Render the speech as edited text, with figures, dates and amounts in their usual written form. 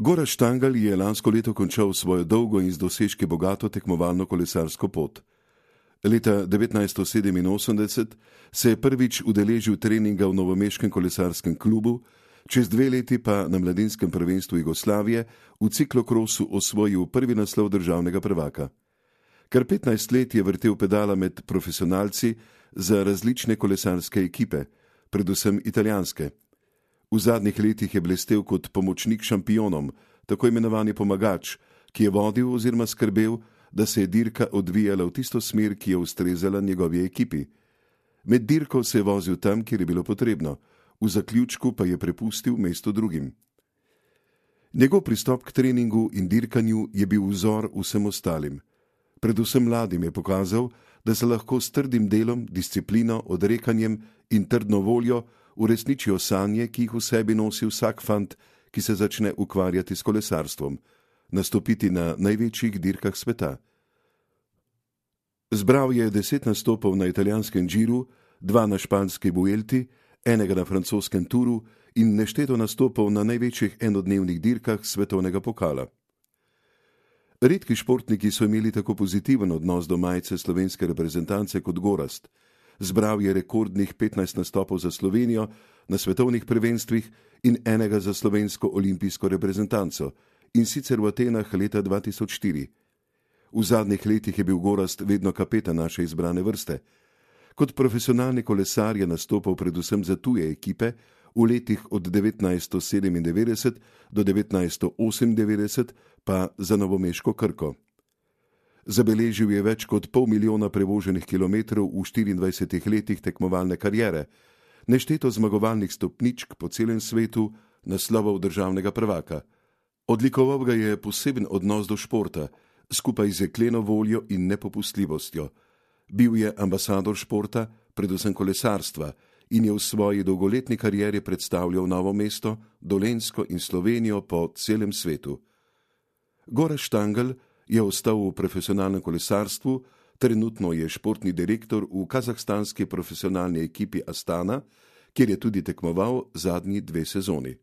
Gorazd Štangelj je lansko leto končal svojo dolgo in z dosežki bogato tekmovalno kolesarsko pot. Leta 1987 se je prvič udeležil treninga v novomeškem kolesarskem klubu, čez 2 leti pa na mladinskem prvenstvu Jugoslavije v ciklokrosu osvojil prvi naslov državnega prvaka. Kar 15 let je vrtel pedala med profesionalci za različne kolesarske ekipe, predvsem italijanske. V zadnjih letih je blestel kot pomočnik šampionom, tako imenovani pomagač, ki je vodil oziroma skrbel, da se je dirka odvijala v tisto smer, ki je ustrezala njegovi ekipi. Med dirko se je vozil tam, kjer je bilo potrebno, v zaključku pa je prepustil mesto drugim. Njegov pristop k treningu in dirkanju je bil vzor vsem ostalim. Predvsem mladim je pokazal, da se lahko s trdim delom, disciplino, odrekanjem in trdno voljo uresničijo sanje, ki jih v sebi nosi vsak fant, ki se začne ukvarjati s kolesarstvom, nastopiti na največjih dirkah sveta. Zbral je 10 nastopov na italijanskem Giru, 2 na španski Vuelti, 1 na francoskem Touru in nešteto nastopov na največjih enodnevnih dirkah svetovnega pokala. Redki športniki so imeli tako pozitiven odnos do majice slovenske reprezentance kot Gorazd. Zbral je rekordnih 15 nastopov za Slovenijo na svetovnih prvenstvih in 1 za slovensko olimpijsko reprezentanco, in sicer v Atenah leta 2004. V zadnjih letih je bil Gorazd vedno kapetan naše izbrane vrste. Kot profesionalni kolesar je nastopal predvsem za tuje ekipe, v letih od 1997 do 1998 pa za novomeško Krko. Zabeležil je več kot 500.000 prevoženih kilometrov v 24 letih tekmovalne kariere, nešteto zmagovalnih stopničk po celem svetu, naslovov državnega prvaka. Odlikoval ga je poseben odnos do športa, skupaj z jekleno voljo in nepopustljivostjo. Bil je ambasador športa, predvsem kolesarstva, in je v svoji dolgoletni karieri predstavljal Novo mesto, Dolenjsko in Slovenijo po celem svetu. Gorazd Štangelj je ostal v profesionalnem kolesarstvu, trenutno je športni direktor v kazahstanski profesionalni ekipi Astana, kjer je tudi tekmoval zadnji 2 sezoni.